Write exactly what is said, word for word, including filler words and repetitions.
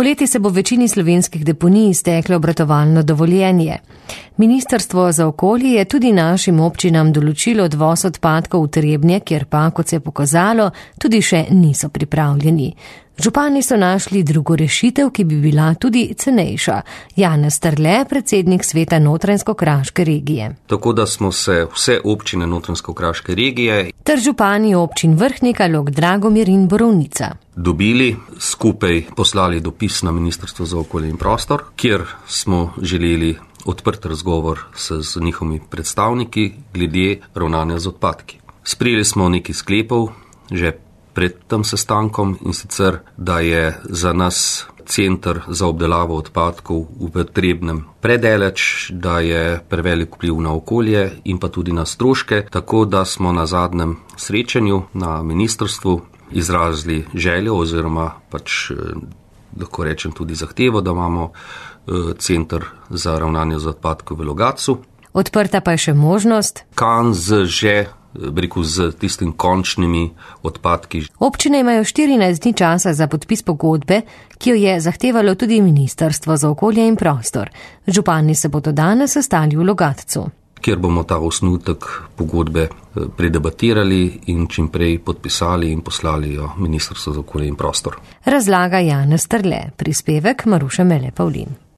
Poleti se bo v večini slovenskih deponij izteklo obratovalno dovoljenje. Ministrstvo za okolje je tudi našim občinam določilo odvoz odpadkov v Trebnje, kjer pa, kot se je pokazalo, tudi še niso pripravljeni. Župani so našli drugo rešitev, ki bi bila tudi cenejša. Janez Strle, predsednik sveta Notranjsko-kraške regije. Tako da smo se vse občine Notranjsko-kraške regije ter župani občin Vrhnika, Log, Dragomir in Borovnica dobili, skupaj poslali dopis na Ministrstvo za okolje in prostor, kjer smo želeli odprt razgovor s, z njihovimi predstavniki glede ravnanja z odpadki. Sprejeli smo nekaj sklepov že pred tem sestankom, in sicer, da je za nas center za obdelavo odpadkov v Trebnjem predaleč, da je prevelik vpliv na okolje in pa tudi na stroške, tako da smo na zadnjem srečanju na ministrstvu izrazili željo oziroma pač lahko rečem tudi zahtevo, da imamo center za ravnanje z odpadkov v Logatcu. Odprta pa je še možnost Kan z že rekel, z tistim končnimi odpadki. Občine imajo štirinajst dni časa za podpis pogodbe, ki jo je zahtevalo tudi Ministrstvo za okolje in prostor. Župani se bodo danes sestali v Logatcu, kjer bomo ta osnutek pogodbe predebatirali in čim prej podpisali in poslali jo Ministrstvo za okolje in prostor. Razlaga Janez Strle, prispevek Maruše Mele Pavlin.